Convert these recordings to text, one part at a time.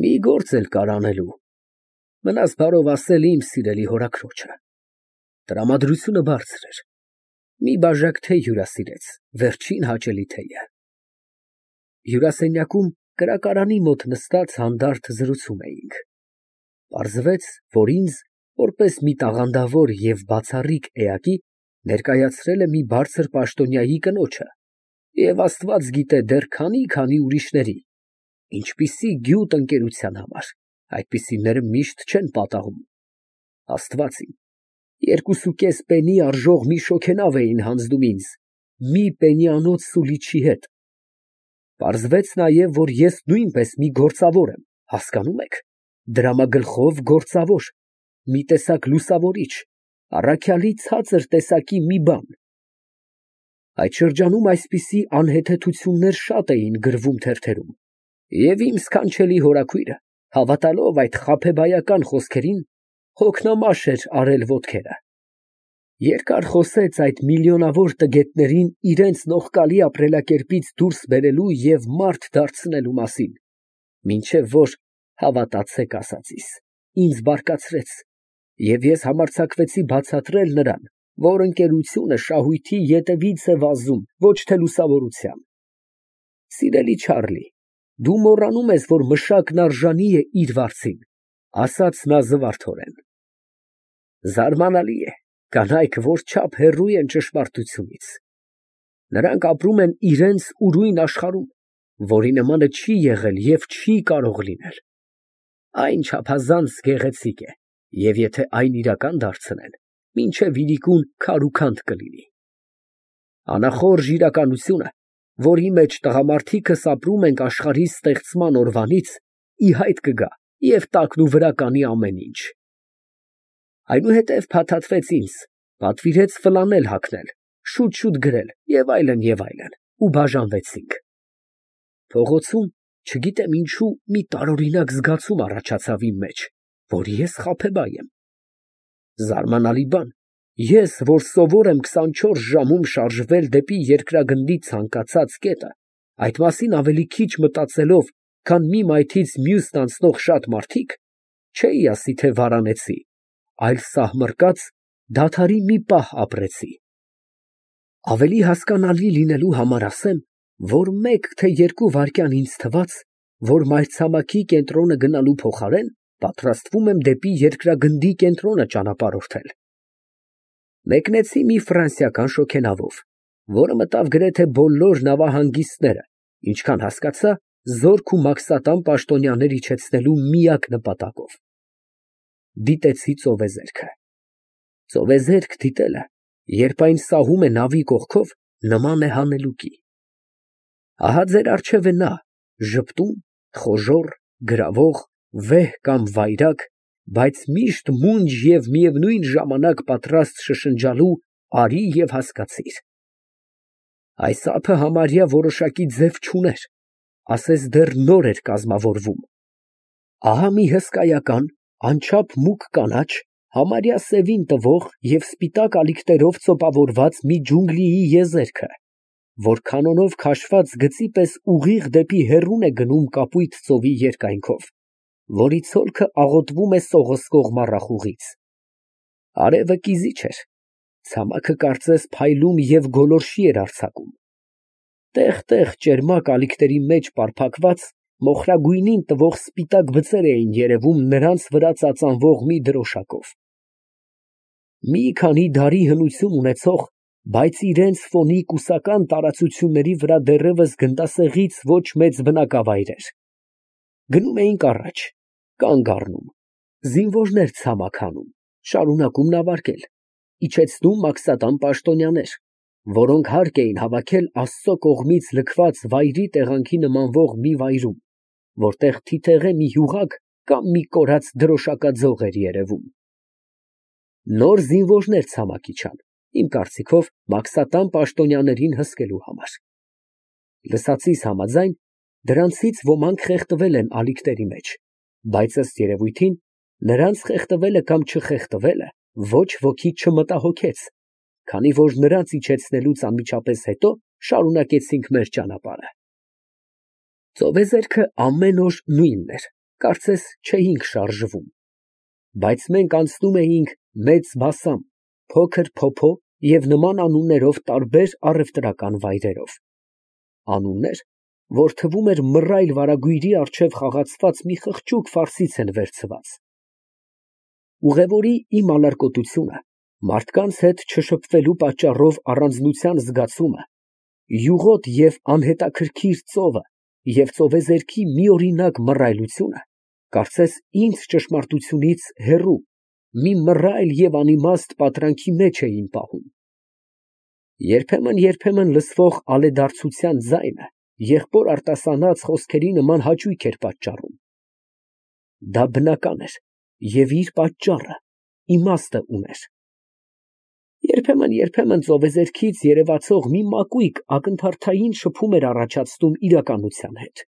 Մի գործ էլ կար անելու, մնաց բարով ասել իմ սիրելի հորաքրոջը։ Տրամադրությունը բարձր էր, մի բաժակ թեյ հյուրասիրեց, վերջին հաճելի թեյը։ Հյուրասենյակում կրակարանի մոտ նստած հանդարտ զրուցում էինք։ Պարզվեց, որ ինձ, որպես մի տաղանդավոր և բացառիկ էակի, ներկայացրել է մի բարձր պաշտոնյայի կնոջը, և Աստված գիտե դեռ քանի ուրիշների, ինչպիսի գյուտ ընկերության համար, այդպիսիները միշտ չեն պատահում։ Աստված իմ, 2.5 պենի արժող մի շոգենավ էին հանձնում ինձ, մի պենիանոց սուլիչի հետ։ Պարզվեց նաև, որ ես նույնպես մի գործավոր եմ, հասկանում եք, դրամագլխով գործավոր, մի տեսակ լուսավորիչ, առաքյալի ցածր տեսակի մի բան։ Այդ շրջանում այսպիսի անհեթեթություններ շատ էին գրվում թերթերում, և իմ սքանչելի հորաքույրը, հավատալով այդ խաբեբայական խոսքերին, հոգնամաշ էր արել ոտքերը։ Երկար խոսեց այդ միլիոնավոր տգետներին իրենց նողկալի ապրելակերպից դուրս բերելու և մարդ դարձնելու մասին, մինչև որ, հավատացեք ասածիս, ինձ բարկացրեց, և ես համարձակվեցի բացատրել նրան, որ ընկերությունը շահույթի ետևից է վազում, ոչ թե լուսավորության։ Սիրելի Չարլի, դու մոռանում ես, որ մշակն արժանի է իր վարձին, ասաց նա զվարթորեն։ Զարմանալի է, կանայք որչափ հեռու են ճշմարտությունից։ Նրանք ապրում են իրենց ուրույն աշխարհում, որի նմանը չի եղել և չի կարող լինել։ Այն չափազանց գեղեցիկ է, և եթե այն իրական դարձնեն, մինչև իրիկուն քարուքանդ կլինի։ Անախորժ իրականությունը, որի մեջ տղամարդիկս ապրում ենք աշխարհի ստեղծման օրվանից, ի հայտ կգա և տակնուվրա կանի ամեն ինչ։ Այնուհետև փաթաթվեց ինձ, պատվիրեց ֆլանել հագնել, շուտ գրել և այլն, ու բաժանվեցինք։ Փողոցում, չգիտեմ ինչու, մի տարօրինակ զգացում առաջացավ իմ մեջ, որ ես խաբեբայ եմ։ Զարմանալի բան, ես, որ սովոր եմ 24 ժամում շարժվել դեպի երկրագնդի ցանկացած կետը, այդ մասին ավելի քիչ մտածելով, քան մի մայթից մյուսն անցնող շատ մարդիկ, չէի ասի, թե վարանեցի, այլ սահմռկած, դադարի մի պահ ապրեցի։ Ավելի հասկանալի լինելու համար ասեմ, որ 1 թե 2 վայրկյան ինձ թվաց, որ մայրցամաքի կենտրոնը գնալու փոխարեն պատրաստվում եմ դեպի երկրագնդի կենտրոնը ճանապարհորդել։ Մեկնեցի մի ֆրանսիական շոգենավով, որը մտավ գրեթե բոլոր նավահանգիստները, ինչքան հասկացա, զորք ու մաքսատան պաշտոնյաներ իջեցնելու միակ նպատակով։ Դիտեցի ծովեզերքը։ Ծովեզերք դիտելը, երբ այն սահում է նավի կողքով, նման է հանելուկի։ Ահա ձեր առջև է նա, ժպտուն, խոժոռ, գրավող, վեհ կամ վայրագ, բայց միշտ մունջ և միևնույն ժամանակ պատրաստ շշնջալու «արի» և «հասկացիր»։ Այս ափը համարյա որոշակի ձև չուներ, ասես դեռ նոր էր կազմավորվում։ Ահա մի հսկայական, անչափ մուգ կանաչ, համարյա սևին տվող և սպիտակ ալիքներով ծոպավորված մի ջունգլիի եզերքը, որ կանոնով քաշված գծի պես ուղիղ դեպի հեռուն է գնում կապույտ ծովի երկայնքով, որի ցոլքը աղոթվում է սողոսկող մառախուղից։ Արևը կիզիչ էր, ցամաքը կարծես փայլում և գոլորշի էր արձակում։ Տեղ֊տեղ ճերմակ ալիքների մեջ պարփակված, մոխրագույնին տվող սպիտակ բծեր էին երևում նրանց վրա ծածանվող մի դրոշակով։ Մի քանի դարի հնություն ունեցող, բայց իրենց ֆոնի կուսական տարածությունների վրա դեռևս գնդասեղից ոչ մեծ բնակավայրեր։ Գնում էինք առաջ, կանգ առնում, զինվորներ ցամաք հանում, շարունակում նավարկել, իջեցնում մաքսատան պաշտոնյաներ, որոնք հարկ էին հավաքել Աստծո կողմից լքված վայրի տեղանքի նմանվող մի վայրում, որտեղ թիթեղե մի յուղակ կամ մի կորած դրոշակաձող էր երևում։ Նոր զինվորներ ցամաք իջան, իմ կարծիքով, մաքսատան պաշտոնյաներին հսկելու համար։ Լսածիս համաձայն, դրանցից ոմանք խեղդվել են ալիքների մեջ, բայց ըստ երևույթին, նրանց խեղդվելը կամ չխեղդվելը ոչ ոքի չմտահոգեց, քանի որ նրանց իջեցնելուց անմիջապես հետո շարունակեցինք մեր ճանապարհը։ Ծովեզերքը ամեն օր նույնն էր, կարծես չէինք շարժվում, բայց մենք անցնում էինք Մեծ Բասամ, Փոքր Փոփո և նման անուններով տարբեր առևտրական վայրերով, անուններ, որ թվում էր մռայլ վարագույրի առջև խաղացված մի խղճուկ ֆարսից են վերցված։ Ուղևորի իմ ալարկոտությունը, մարդկանց հետ չշփվելու պատճառով առանձնության զգացումը, յուղոտ և անհետաքրքիր ծովը և ծովեզերքի միօրինակ մռայլությունը, կարծես ինձ ճշմարտությունից հեռու, մի մռայլ և անիմաստ պատրանքի մեջ էին պահում։ Երբեմն լսվող ալեդարձության ձայնը եղբոր արտասանած խոսքերի նման հաճույք էր պատճառում։ Դա բնական էր և իր պատճառը, իմաստը ուներ։ Երբեմն ծովեզերքից երևացող մի մակույկ ակնթարթային շփում էր առաջացնում իրականության հետ։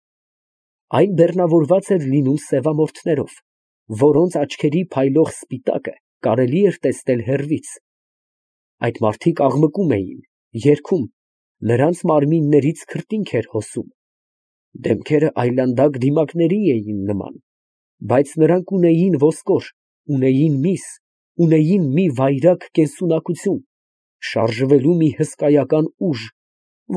Այն բեռնավորված էր լինում սևամորթներով, որոնց աչքերի փայլող սպիտակը կարելի էր տեսնել հեռվից։ Այդ մարդիկ աղմկում էին, երգում, նրանց մարմիններից քրտինք էր հոսում, դեմքերը այլանդակ դիմակների էին նման, բայց նրանք ունեին ոսկոր, ունեին միս, ունեին մի վայրագ կենսունակություն, շարժվելու մի հսկայական ուժ,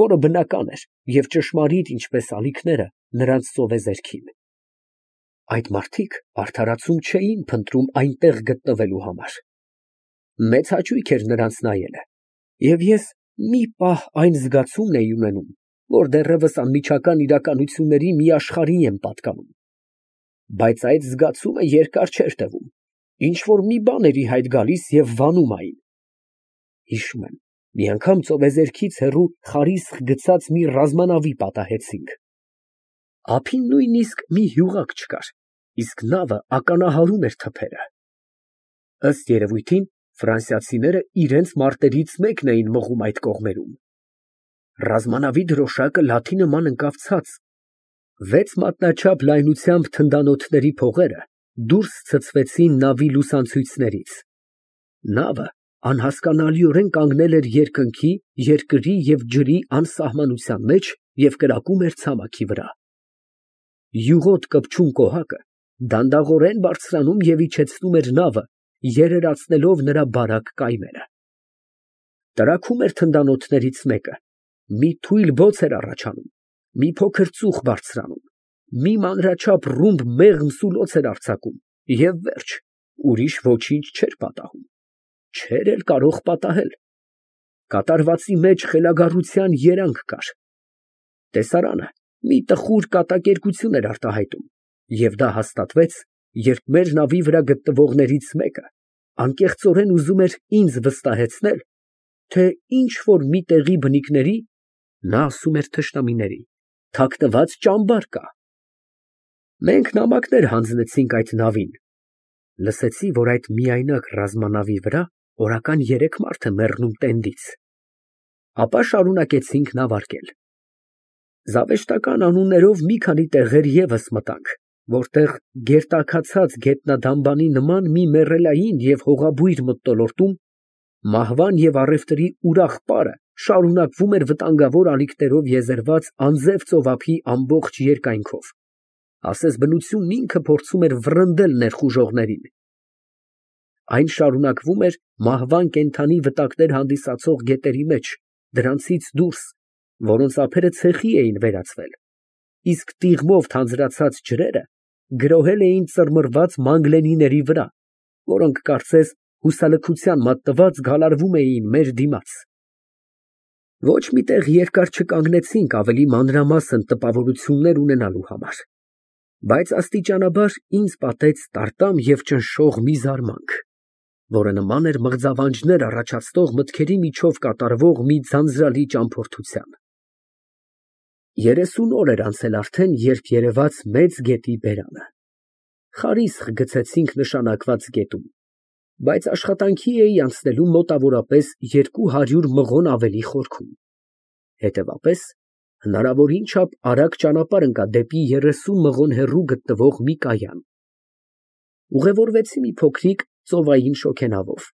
որը բնական էր և ճշմարիտ, ինչպես ալիքները նրանց ծովեզերքին։ Այդ մարդիկ արդարացում չէին փնտրում այնտեղ գտնվելու համար։ Մեծ հաճույք էր նրանց նայելը, և ես մի պահ այն զգացումն էի ունենում, որ դեռևս անմիջական իրականությունների մի աշխարհի եմ պատկանում։ Բայց այդ զգացումը երկար չէր տևում, ինչ֊որ մի բան էր ի հայտ գալիս և վանում այն։ Հիշում եմ, մի անգամ ծովեզերքից հեռու խարիսխ գցած մի ռազմանավի պատահեցինք։ Ափին նույնիսկ մի հյուղակ չկար, իսկ նավը ականահարում էր թփերը։ Ըստ երևույթին, ֆրանսիացիները իրենց մարտերից մեկն էին մղում այդ կողմերում։ Ռազմանավի դրոշակը լաթի նման ընկավ ցած, 6 մատնաչափ լայնությամբ թնդանոթների փողերը դուրս ցցվեցին նավի լուսանցույցներից։ Նավը անհասկանալիորեն կանգնել էր երկնքի, երկրի և ջրի անսահմանության մեջ և կրակում էր ցամաքի վրա։ Յուղոտ կպչուն կոհակը դանդաղորեն բարձրանում և իջեցնում էր նավը, երերացնելով նրա բարակ կայմերը։ Տրաքում էր թնդանոթներից մեկը, մի թույլ բոց էր առաջանում, մի փոքր ծուխ բարձրանում, մի մանրաչափ ռումբ մեղմ սուլոց էր արձակում, և վերջ, ուրիշ ոչինչ չէր պատահում, չէր էլ կարող պատահել։ Կատարվածի մեջ խելագարության երանգ կար։ Տեսարանը մի տխուր կատակերգություն էր արտահայտում, և դա հաստատվեց, երբ մեր նավի վրա գտնվողներից մեկը անկեղծորեն ուզում էր ինձ վստահեցնել, թե ինչ֊որ մի տեղի բնիկների (նա ասում էր թշնամիների) թաքնված ճամբար կա։ Մենք նամակներ հանձնեցինք այդ նավին։ Լսեցի, որ այդ միայնակ ռազմանավի վրա օրական 3 մարդ է մեռնում տենդից։ Ապա շարունակեցինք նավարկել։ Զավեշտական անուններով մի քանի տեղեր ևս մտանք, որտեղ գերտաքացած գետնադամբանի նման մի մեռելային և հողաբույր մթնոլորտում մահվան և առևտրի ուրախ պարը շարունակվում էր վտանգավոր ալիքներով եզերված անձև ծովափի ամբողջ երկայնքով, ասես բնությունն ինքը փորձում էր վռնդել ներխուժողներին։ Այն շարունակվում էր մահվան կենդանի վտակներ հանդիսացող գետերի մեջ, դրանցից դուրս, որոնց ափերը ցեխի էին վերածվել, իսկ տիղմով թանձրացած ջրերը գրոհել էին ծռմռված մանգլենիների վրա, որոնք կարծես հուսալքության մատնված գալարվում էին մեր դիմաց։ Ոչ մի տեղ երկար չկանգնեցինք ավելի մանրամասն տպավորություններ ունենալու համար, բայց աստիճանաբար ինձ պատեց տարտամ և ճնշող մի զարմանք, որը նման էր մղձավանջներ առաջացնող մտքերի միջով կատարվող մի ձանձրալի ճամփորդության։ 30 օր էր անցել արդեն, երբ երևաց մեծ գետի բերանը։ Խարիսխ գցեցինք նշանակված գետում, բայց աշխատանքի էի անցնելու մոտավորապես 200 մղոն ավելի խորքում։ Հետևապես, հնարավորին չափ արագ ճանապարհ ընկա դեպի 30 մղոն հեռու գտնվող մի կայան։ Ուղևորվեցի մի փոքրիկ ծովային շոգենավով,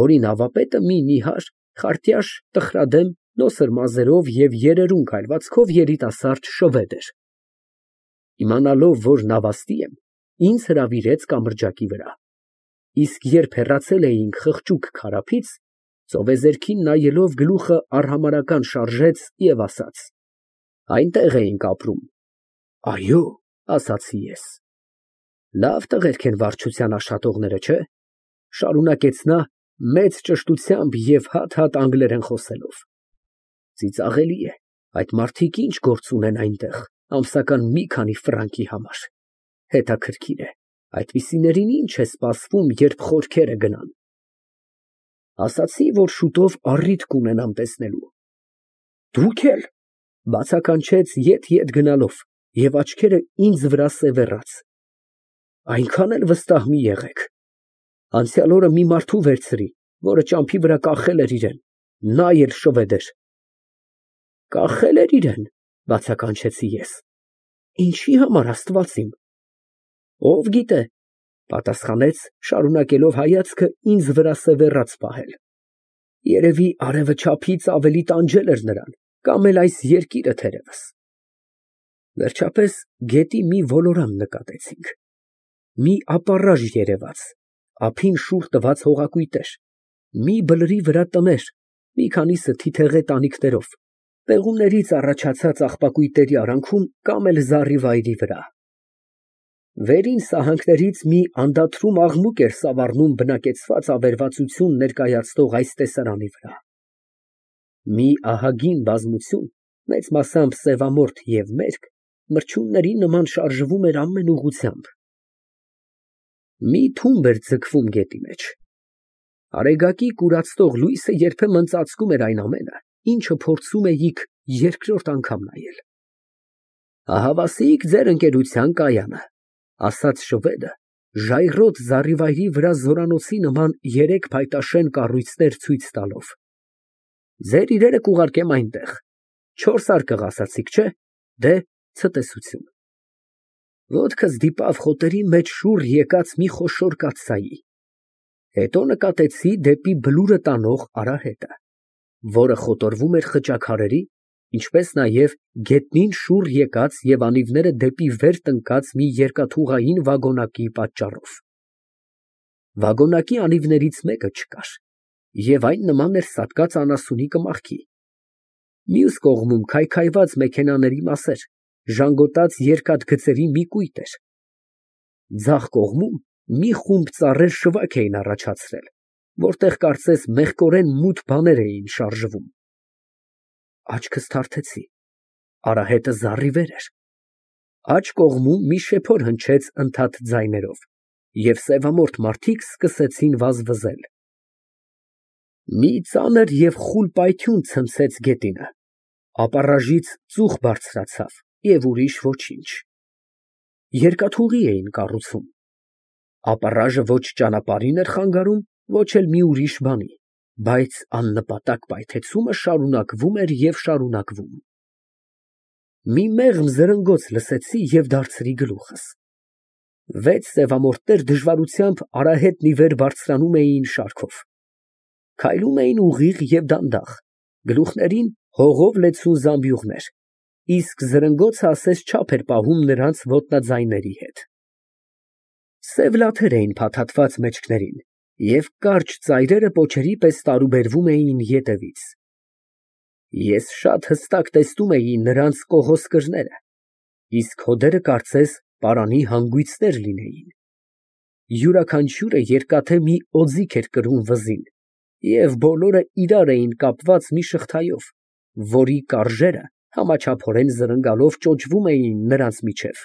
որի նավապետը մի նիհար, խարտյաշ, տխրադեմ, նոսր մազերով և երերուն քայլվածքով երիտասարդ շվեդ էր։ Իմանալով, որ նավաստի եմ, ինձ հրավիրեց կամրջակի վրա։ Իսկ երբ հեռացել էինք խղճուկ քարափից, ծովեզերքին նայելով գլուխը արհամարհական շարժեց և ասաց. Այնտեղ էինք ապրում։ Այո, ասացի ես։ Լավ տղերք են վարչության աշխատողները, չէ՞, շարունակեց նա մեծ ճշտությամբ և հատ-հատ անգլերեն խոսելով։ Ծիծաղելի է, այդ մարդիկ ինչ գործ ունեն այնտեղ, ամսական մի քանի ֆրանկի համար։ Հետաքրքիր է, այդպիսիներին ինչ է սպասվում, երբ խորքերը գնան։ Ասացի, որ շուտով առիթ կունենամ տեսնելու։ Դուք էլ, բացականչեց ետ գնալով և աչքերը ինձ վրա սևեռած։ Այնքան էլ վստահ մի եղեք։ Անցյալ օրը մի մարդու վերցրի, որը ճամփի վրա կախել էր իրան, նա էլ շվեդ էր։ Կախել էր իրան, բացականչեցի ես։ Ինչի համար, Աստված իմ։ Ով գիտե, պատասխանեց, շարունակելով հայացքը ինձ վրա սևեռած պահել։ Երևի արևը չափից ավելի տանջել էր նրան, կամ էլ այս երկիրը թերևս։ Վերջապես գետի մի ոլորան նկատեցինք։ Մի ապառաժ երևաց, ափին շուռ տված հողակույտեր, մի բլրի վրա տներ, մի քանիսը թիթեղե տանիքներով, պեղումներից առաջացած աղբակույտերի արանքում կամ էլ զառիվայրի վրա։ Վերին սահանքներից մի անդադրում աղմուկ էր սավառնում բնակեցված ավերածություն ներկայացնող այս տեսարանի վրա։ Մի ահագին բազմություն, մեծ մասամբ սևամորթ և մերկ, մրջյունների նման շարժվում էր ամեն ուղղությամբ։ Մի թումբ էր ձգվում գետի մեջ։ Արեգակի կուրացնող լույսը երբեմն ծածկում էր այն ամենը, ինչը փորձում էիք երկրորդ անգամ նայել։ Ահավասիկ ձեր ընկերության կայանը, ասաց շվեդը, ժայռոտ զառիվայրի վրա զորանոցի նման երեք փայտաշեն կառույցներ ցույց տալով։ Ձեր իրերը կուղարկեմ այնտեղ, 4 արկղ ասացիք, չէ՞, դե ցտեսություն։ Ոտքս դիպավ խոտերի մեջ շուռ եկած մի խոշոր կաթսայի։ Հետո նկատեցի դեպի բլուրը տանող արահետը, որը խոտորվում էր խճաքարերի, ինչպես նաև գետնին շուռ եկած և անիվները դեպի վեր տնկած մի երկաթուղային վագոնակի պատճառով։ Վագոնակի անիվներից մեկը չկար, և այն նման էր սատկած անասունի կմախքի։ Մյուս կողմում քայքայված մեքենաների մասեր, ժանգոտած երկաթգծերի մի կույտ էր։ Ձախ կողմում մի խումբ ծառեր շվակ էին առաջացրել, որտեղ կարծես մեղկորեն մութ բաներ էին շարժվում։ Աչքս թարթեցի, արահետը զառիվեր էր։ Աջ կողմում մի շեփոր հնչեց ընդհատ ձայներով, և սևամորթ մարդիկ սկսեցին վազվզել։ Մի ծանր և խուլ պայթյուն ցնցեց գետինը, ապառաժից ծուխ բարձրացավ և ուրիշ ոչինչ։ Երկաթուղի էին կառուցում։ Ապառաժը ոչ ճանապարհին էր խանգարում, ոչ էլ մի ուրիշ բանի, բայց աննպատակ պայթեցումը շարունակվում էր և շարունակվում։ Մի մեղմ զրնգոց լսեցի և դարձրի գլուխս։ 6 սևամորթներ դժվարությամբ արահետն ի վեր բարձրանում էին շարքով։ Քայլում էին ուղիղ և դանդաղ, գլուխներին հողով լեցուն զամբյուղներ, իսկ զրնգոցը ասես չափ էր պահում նրանց ոտնաձայների հետ։ Սև լաթեր էին փաթաթված մեջքներին, և կարճ ծայրերը պոչերի պես տարուբերվում էին ետևից։ Ես շատ հստակ տեսնում էի նրանց կողոսկրները, իսկ հոդերը կարծես պարանի հանգույցներ լինեին։ Յուրաքանչյուրը երկաթե մի օձիք էր կրում վզին, և բոլորը իրար էին կապված մի շղթայով, որի կարժերը համաչափորեն զրնգալով ճոճվում էին նրանց միջև։